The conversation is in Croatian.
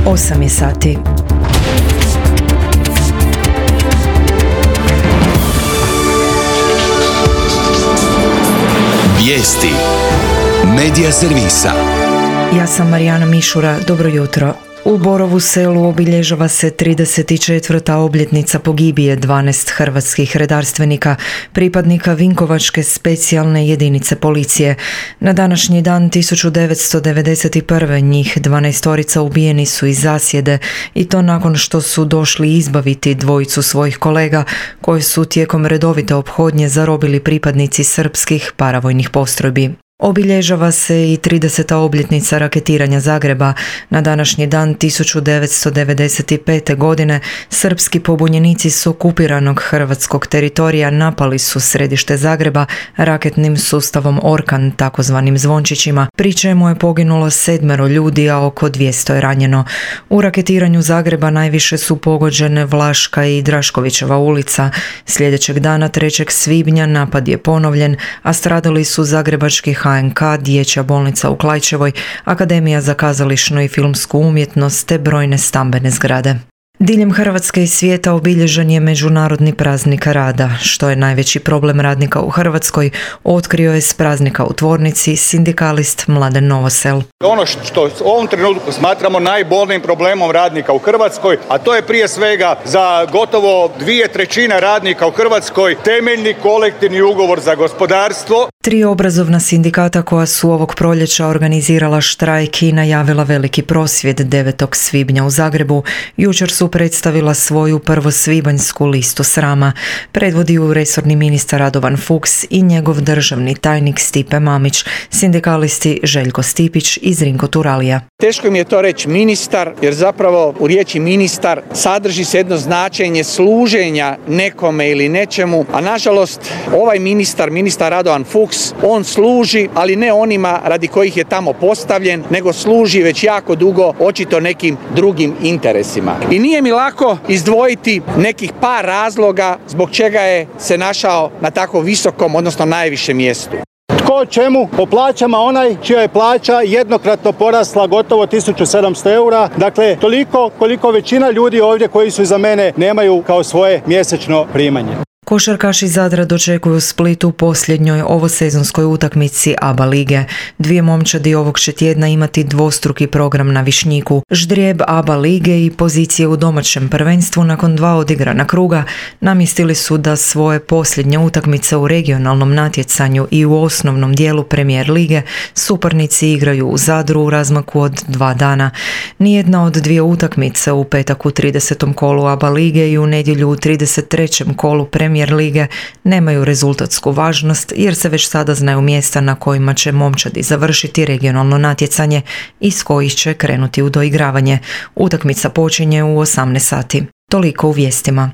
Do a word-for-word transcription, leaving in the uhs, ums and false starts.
osam je sati. Vijesti Medija servisa. Ja sam Marijana Mišura, dobro jutro. U Borovu Selu obilježava se trideset četvrta obljetnica pogibije dvanaest hrvatskih redarstvenika, pripadnika Vinkovačke specijalne jedinice policije. Na današnji dan tisuću devetsto devedeset prve njih dvanaestorica ubijeni su iz zasjede i to nakon što su došli izbaviti dvojicu svojih kolega koji su tijekom redovite ophodnje zarobili pripadnici srpskih paravojnih postrojbi. Obilježava se i trideseta obljetnica raketiranja Zagreba. Na današnji dan tisuću devetsto devedeset pete. godine srpski pobunjenici s okupiranog hrvatskog teritorija napali su središte Zagreba raketnim sustavom Orkan, takozvanim zvončićima, pri čemu je poginulo sedmero ljudi, a oko dvjesto je ranjeno. U raketiranju Zagreba najviše su pogođene Vlaška i Draškovićeva ulica. Sljedećeg dana trećeg svibnja napad je ponovljen, a stradali su zagrebački H N K, dječja bolnica u Klaićevoj, Akademija za kazališnu i filmsku umjetnost te brojne stambene zgrade. Diljem Hrvatske i svijeta obilježen je Međunarodni praznik rada. Što je najveći problem radnika u Hrvatskoj, otkrio je s praznika u tvornici sindikalist Mladen Novosel. Ono što u ovom trenutku smatramo najbolnijim problemom radnika u Hrvatskoj, a to je prije svega za gotovo dvije trećine radnika u Hrvatskoj temeljni kolektivni ugovor za gospodarstvo. Tri obrazovna sindikata koja su ovog proljeća organizirala štrajk i najavila veliki prosvjed devetog svibnja u Zagrebu, jučer su predstavila svoju prvosvibanjsku listu srama. Predvodi ju resorni ministar Radovan Fuchs i njegov državni tajnik Stipe Mamić, sindikalisti Željko Stipić i Zrinko Turalija. Teško mi je to reći ministar, jer zapravo u riječi ministar sadrži se jedno značenje služenja nekome ili nečemu, a nažalost ovaj ministar, ministar Radovan Fuchs, on služi, ali ne onima radi kojih je tamo postavljen, nego služi već jako dugo očito nekim drugim interesima. I nije mi lako izdvojiti nekih par razloga zbog čega je se našao na tako visokom, odnosno najvišem mjestu. Tko čemu? Po plaćama onaj čija je plaća jednokratno porasla gotovo tisuću sedamsto eura. Dakle, toliko koliko većina ljudi ovdje koji su iza mene nemaju kao svoje mjesečno primanje. Košarkaši Zadra dočekuju Split u posljednjoj ovosezonskoj utakmici A B A lige. Dvije momčadi ovog će tjedna imati dvostruki program na Višnjiku. Ždrijeb A B A lige i pozicije u domaćem prvenstvu nakon dva odigrana kruga namjestili su da svoje posljednje utakmice u regionalnom natjecanju i u osnovnom dijelu Premijer lige suparnici igraju u Zadru u razmaku od dva dana. Nijedna od dvije utakmice u petak u tridesetom kolu A B A lige i u nedjelju u trideset trećem kolu Premijer Premijer lige nemaju rezultatsku važnost jer se već sada znaju mjesta na kojima će momčadi završiti regionalno natjecanje i s kojih će krenuti u doigravanje. Utakmica počinje u osamnaest sati. Toliko u vijestima.